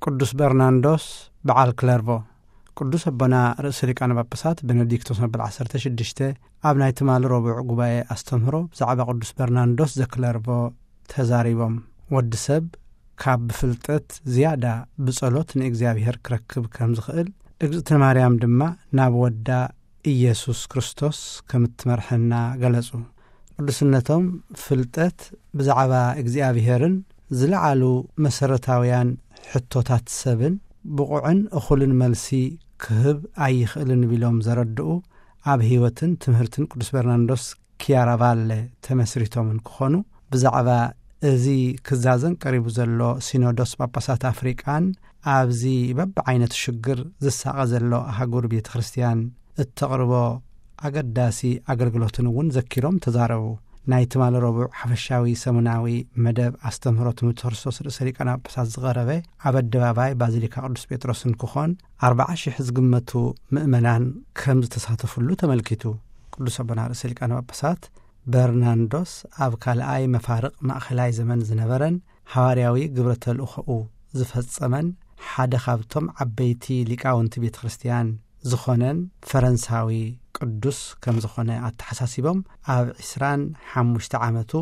ቅዱስ በርናንዶስ በዓል ክለርቮ። ቅዱስ ኣቦና ርእሰ ሊቃነ ጳጳሳት ቤኔዲክቶስ መበል ዓሰርተ ሽዱሽተ ኣብ ናይ ትማሊ ረቡዕ ጉባኤ ኣስተምህሮ ብዛዕባ ቅዱስ በርናንዶስ ዘክለርቮ ተዛሪቦም። ወዲ ሰብ ካብ ብፍልጠት ዝያዳ ብጸሎት ንእግዚኣብሔር ክረክብ ከም ዝኽእል፣ እግዝእትነ ማርያም ድማ ናብ ወዳ ኢየሱስ ክርስቶስ ከም እትመርሐና ገለጹ። ቅዱስነቶም ፍልጠት ብዛዕባ እግዚኣብሔርን ዝለዓሉ መሰረታውያን ሕቶታት ሰብን ብቑዕን እኹልን መልሲ ክህብ ኣይኽእልን ቢሎም ዘረድኡ፣ ኣብ ህይወትን ትምህርትን ቅዱስ በርናንዶስ ኪያራቫለ ተመስሪቶም እንክኾኑ፣ ብዛዕባ እዚ ክዛዘም ቀሪቡ ዘሎ ሲኖዶስ ጳጳሳት ኣፍሪቃን ኣብዚ በብዓይነቱ ሽግር ዝሳቐ ዘሎ ኣህጉር ቤተ ክርስቲያን እተቕርቦ ኣገዳሲ ኣገልግሎትን እውን ዘኪሮም ተዛረቡ። ናይ ትማሊ ረቡዕ ሓፈሻዊ ሰሙናዊ መደብ ኣስተምህሮ ትምህርቲ ክርስቶስ ርእሰ ሊቃነ ጳጳሳት ዝቐረበ ኣብ ኣደባባይ ባዚሊካ ቅዱስ ጴጥሮስ እንክኾን፣ ኣርብዓ ሺሕ ዝግመቱ ምእመናን ከም ዝተሳተፉሉ ተመልኪቱ። ቅዱስ ኣቦና ርእሰ ሊቃነ ጳጳሳት በርናንዶስ ኣብ ካልኣይ መፋርቕ ማእኸላይ ዘመን ዝነበረን ሃዋርያዊ ግብረ ተልእኾኡ ዝፈጸመን ሓደ ካብቶም ዓበይቲ ሊቃውንቲ ቤተ ክርስቲያን ዝኾነን ፈረንሳዊ ቅዱስ ከም ዝኾነ ኣተሓሳሲቦም፣ ኣብ ዕስራን ሓሙሽተ ዓመቱ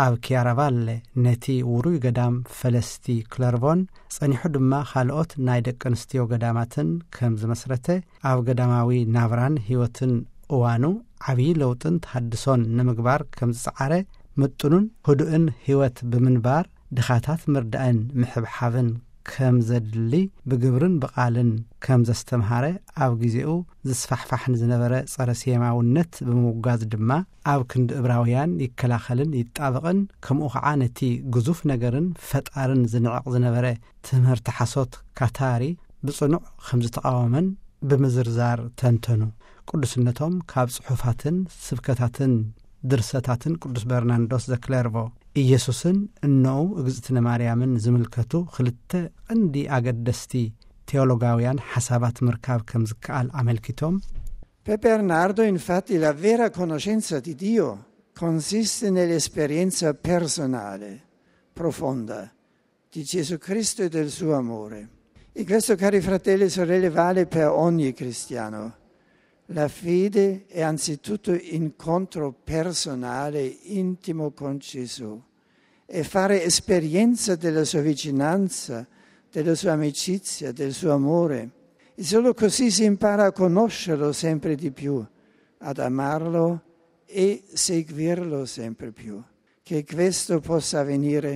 ኣብ ኪያራቫለ ነቲ ውሩይ ገዳም ፈለስቲ ክለርቮን ጸኒሑ ድማ ካልኦት ናይ ደቂ ኣንስትዮ ገዳማትን ከም ዝመስረተ፣ ኣብ ገዳማዊ ናብራን ህይወትን እዋኑ ዓብዪ ለውጥን ተሃድሶን ንምግባር ከም ዝጸዓረ ምጥኑን ህዱእን ህይወት ብምንባር ድኻታት ምርዳእን ምሕብሓብን ከም ዘድሊ ብግብርን ብቓልን ከም ዘስተምሃረ፣ ኣብ ግዜኡ ዝስፋሕፋሕ ንዝነበረ ጸረ ሴማውነት ብምውጋዝ ድማ ኣብ ክንዲ እብራውያን ይከላኸልን ይጣበቕን፣ ከምኡ ኸዓ ነቲ ግዙፍ ነገርን ፈጣርን ዝንዕቕ ዝነበረ ትምህርቲ ሓሶት ካታሪ ብጽኑዕ ከም ዝተቓወመን ብምዝርዛር ተንተኑ። ቅዱስነቶም ካብ ጽሑፋትን ስብከታትን ድርሰታትን ቅዱስ በርናንዶስ ዘክለርቮ፣ ኢየሱስን እነኡ እግዝእትነ ማርያምን ዝምልከቱ ክልተ ቀንዲ ኣገደስቲ ቴዎሎጋውያን ሓሳባት ምርካብ ከም ዝከኣል ኣመልኪቶም፣ Per Bernardo, infatti, la vera conoscenza di Dio consiste nell'esperienza personale, profonda, di Gesù Cristo e del suo amore. E questo, cari fratelli e sorelle, vale per ogni cristiano. La fede è anzitutto incontro personale, intimo con Gesù, e fare esperienza della sua vicinanza, della sua amicizia, del suo amore. E solo così si impara a conoscerlo sempre di più, ad amarlo e seguirlo sempre più. Che questo possa avvenire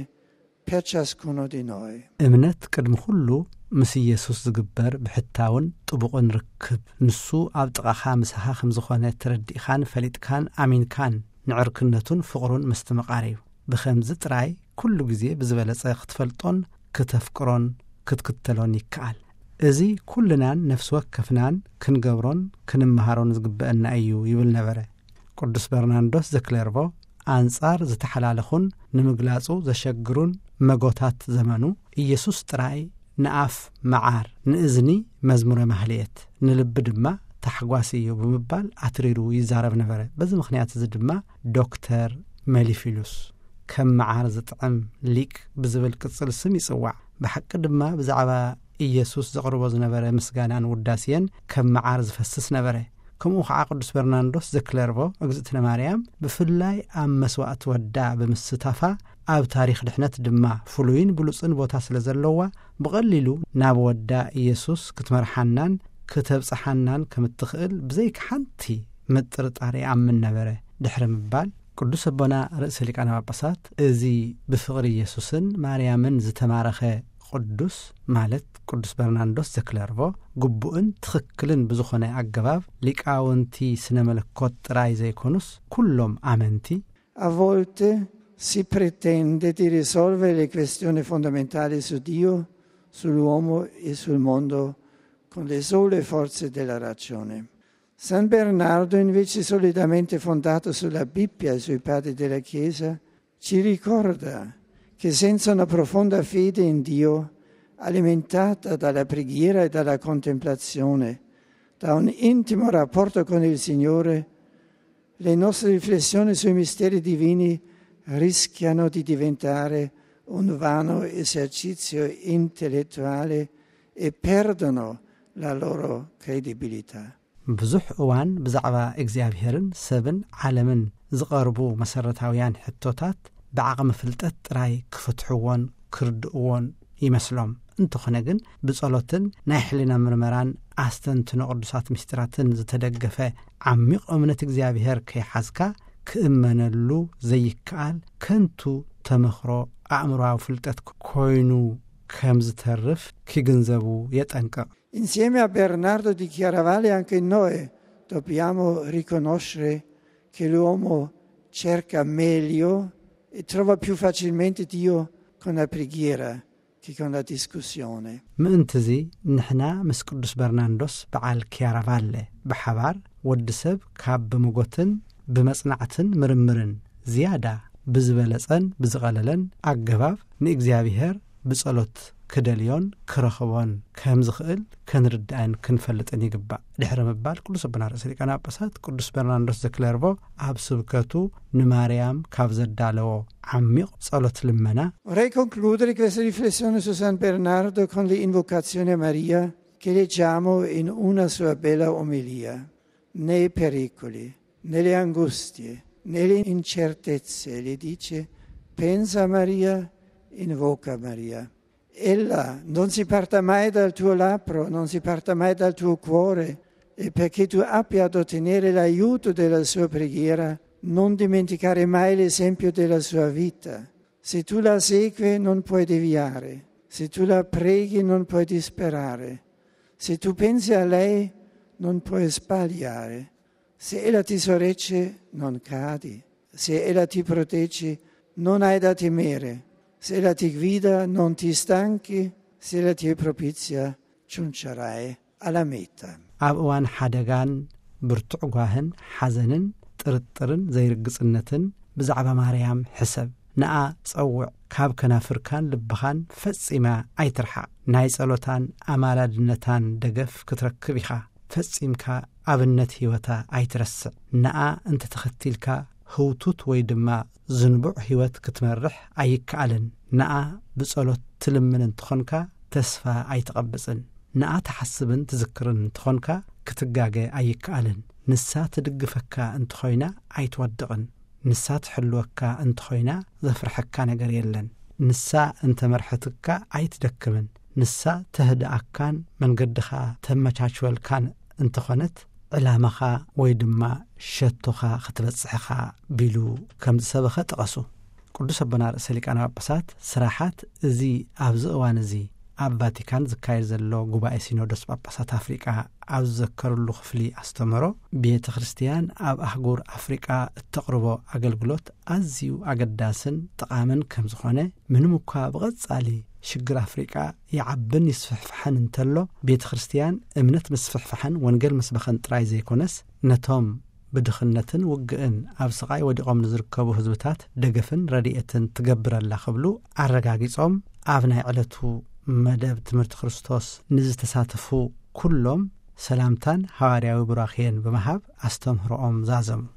per ciascuno di noi. እምነት ቅድሚ ኩሉ ምስ ኢየሱስ ዝግበር ብሕታውን ጥቡቕን ርክብ፣ ንሱ ኣብ ጥቓኻ ምሳኻ ከም ዝኾነ ተረዲእኻን ፈሊጥካን ኣሚንካን ንዕርክነቱን ፍቕሩን ምስትምቓር እዩ። ብኸምዚ ጥራይ ኩሉ ግዜ ብዝበለጸ ክትፈልጦን ክተፍቅሮን ክትክተሎን ይከኣል። እዚ ኩልናን ነፍሲ ወከፍናን ክንገብሮን ክንመሃሮን ዝግበአና እዩ ይብል ነበረ። ቅዱስ በርናንዶስ ዘክለርቮ ኣንጻር ዝተሓላለኹን ንምግላጹ ዘሸግሩን መጎታት ዘመኑ፣ ኢየሱስ ጥራይ ንኣፍ መዓር፣ ንእዝኒ መዝሙረ ማህልየት፣ ንልቢ ድማ ታሕጓስ እዩ ብምባል ኣትሪሩ ይዛረብ ነበረ። በዚ ምኽንያት እዚ ድማ ዶክተር መሊፊሉስ ከም መዓር ዝጥዕም ሊቅ ብዝብል ቅጽል ስም ይጽዋዕ። ብሓቂ ድማ ብዛዕባ ኢየሱስ ዘቕርቦ ዝነበረ ምስጋናን ውዳሴን ከም መዓር ዝፈስስ ነበረ። ከምኡ ኸዓ ቅዱስ በርናንዶስ ዘክለርቮ እግዝእትነ ማርያም ብፍላይ ኣብ መስዋዕቲ ወዳ ብምስታፋ ኣብ ታሪኽ ድሕነት ድማ ፍሉይን ብሉጽን ቦታ ስለ ዘለዋ ብቐሊሉ ናብ ወዳ ኢየሱስ ክትመርሓናን ክተብጽሓናን ከም እትኽእል ብዘይካ ሓንቲ ምጥርጣር ይኣምን ነበረ ድሕሪ ምባል ቅዱስ ኣቦና ርእሰ ሊቃነ ጳጳሳት እዚ ብፍቕሪ ኢየሱስን ማርያምን ዝተማረኸ ቅዱስ ማለት ቅዱስ በርናንዶስ ዘክለርቮ ግቡእን ትኽክልን ብዝኾነ ኣገባብ ሊቃውንቲ ስነ መለኮት ጥራይ ዘይኮኑስ ኩሎም ኣመንቲ A volte si pretende di risolvere le questioni fondamentali su Dio, sull'uomo e sul mondo con le sole forze della ragione. San Bernardo, invece solidamente fondato sulla Bibbia e sui padri della Chiesa, ci ricorda che senza una profonda fede in Dio, alimentata dalla preghiera e dalla contemplazione, da un intimo rapporto con il Signore, le nostre riflessioni sui misteri divini rischiano di diventare un vano esercizio e perdono la loro credibilità. ብዙሕ እዋን ብዛዕባ እግዚኣብሔርን ሰብን ዓለምን ዝቐርቡ መሰረታውያን ሕቶታት ብዓቕሚ ፍልጠት ጥራይ ክፍትሕዎን ክርድእዎን ይመስሎም። እንተኾነ ግን ብጸሎትን ናይ ሕሊና ምርመራን ኣስተንትኖ ቅዱሳት ምስጢራትን ዝተደገፈ ዓሚቕ እምነት እግዚኣብሔር ከይሓዝካ ክእመነሉ ዘይከኣል ከንቱ ተመኽሮ ኣእምሮዊ ፍልጠት ኮይኑ ከም ዝተርፍ ክግንዘቡ የጠንቅቕ። Insieme a Bernardo di Chiaravalle anche noi dobbiamo riconoscere che l'uomo cerca meglio e trova più facilmente Dio con la preghiera che con la discussione. ምእንትዚ ንሕና ምስ ቅዱስ በርናንዶስ በዓል ኪያራቫለ ብሓባር ወዲ ሰብ ካብ ብምጎትን ብመጽናዕትን ምርምርን ዝያዳ ብዝበለጸን ብዝቐለለን ኣገባብ ንእግዚኣብሔር ብጸሎት ክደልዮን ክረኽቦን ከም ዝኽእል ከንርዳእን ክንፈልጥን ይግባእ። ድሕሪ ምባል ቅዱስ ኣቦና ርእሰ ሊቃነ ጳጳሳት ቅዱስ በርናንዶስ ዘክለርቮ ኣብ ስብከቱ ንማርያም ካብ ዘዳለዎ ዓሚቕ ጸሎት ልመና። Vorrei concludere questa riflessione su San Bernardo con l'invocazione a Maria che leggiamo in una sua bella omelia. Nei pericoli, nelle angustie, nelle incertezze, le dice: "Pensa a Maria, invoca Maria." Ella non si parta mai dal tuo labbro, non si parta mai dal tuo cuore, e perché tu abbia ad ottenere l'aiuto della sua preghiera, non dimenticare mai l'esempio della sua vita. Se tu la segui, non puoi deviare. Se tu la preghi, non puoi disperare. Se tu pensi a lei, non puoi sbagliare. Se ella ti sorregge, non cadi. Se ella ti protegge, non hai da temere. Se ella ti guida, non ti stanchi. Se ella ti è propizia, giungerai alla meta. ኣብ እዋን ሓደጋን ብርቱዕ ጓህን ሓዘንን ጥርጥርን ዘይርግጽነትን ብዛዕባ ማርያም ሕሰብ። ንኣ ጸውዕ። ካብ ከናፍርካን ልብኻን ፈጺማ ኣይትርሓቕ። ናይ ጸሎታን ኣማላድነታን ደገፍ ክትረክብ ኢኻ። ፈጺምካ ኣብነት ህይወታ ኣይትረስዕ። ንኣ እንተተኸቲልካ ህውቱት ወይ ድማ ዝንቡዕ ህይወት ክትመርሕ ኣይከኣልን። ንኣ ብጸሎት ትልምን እንተኾንካ ተስፋ ኣይትቐብጽን። ንኣ ትሓስብን ትዝክርን እንተኾንካ ክትጋገ ኣይከኣልን። ንሳ ትድግፈካ እንተኾይና ኣይትወድቕን። ንሳ ትሕልወካ እንተኾይና ዘፍርሐካ ነገር የለን። ንሳ እንተመርሐትካ ኣይትደክምን። ንሳ ተህድኣካን መንገድኻ ተመቻችወልካን እንተኾነት ዕላማኻ ወይ ድማ ሸቶኻ ክትበጽሕኻ ቢሉ ከም ዝሰበኸ ጠቐሱ። ቅዱስ ኣቦና ርእሰ ሊቃነ ጳጳሳት ስራሓት እዚ ኣብዚ እዋን እዚ ኣብ ቫቲካን ዝካየድ ዘሎ ጉባኤ ሲኖዶስ ጳጳሳት ኣፍሪቃ ኣብ ዝዘከርሉ ክፍሊ ኣስተምህሮ፣ ቤተ ክርስቲያን ኣብ ኣህጉር ኣፍሪቃ እተቕርቦ ኣገልግሎት ኣዝዩ ኣገዳስን ጠቓምን ከም ዝኾነ፣ ምንም እኳ ብቐጻሊ ሽግር ኣፍሪቃ ይዓብን ይስፍሕፍሐን እንተሎ፣ ቤተ ክርስቲያን እምነት ምስፍሕፍሐን ወንጌል ምስበኸን ጥራይ ዘይኮነስ፣ ነቶም ብድኽነትን ውግእን ኣብ ስቓይ ወዲቖም ንዝርከቡ ህዝብታት ደገፍን ረድኤትን ትገብር ኣላ ክብሉ ኣረጋጊጾም፣ ኣብ ናይ ዕለቱ መደብ ትምህርቲ ክርስቶስ ንዝተሳተፉ ኩሎም ሰላምታን ሃዋርያዊ ቡራኽየን ብምሃብ ኣስተምህሮኦም ዛዘሙ።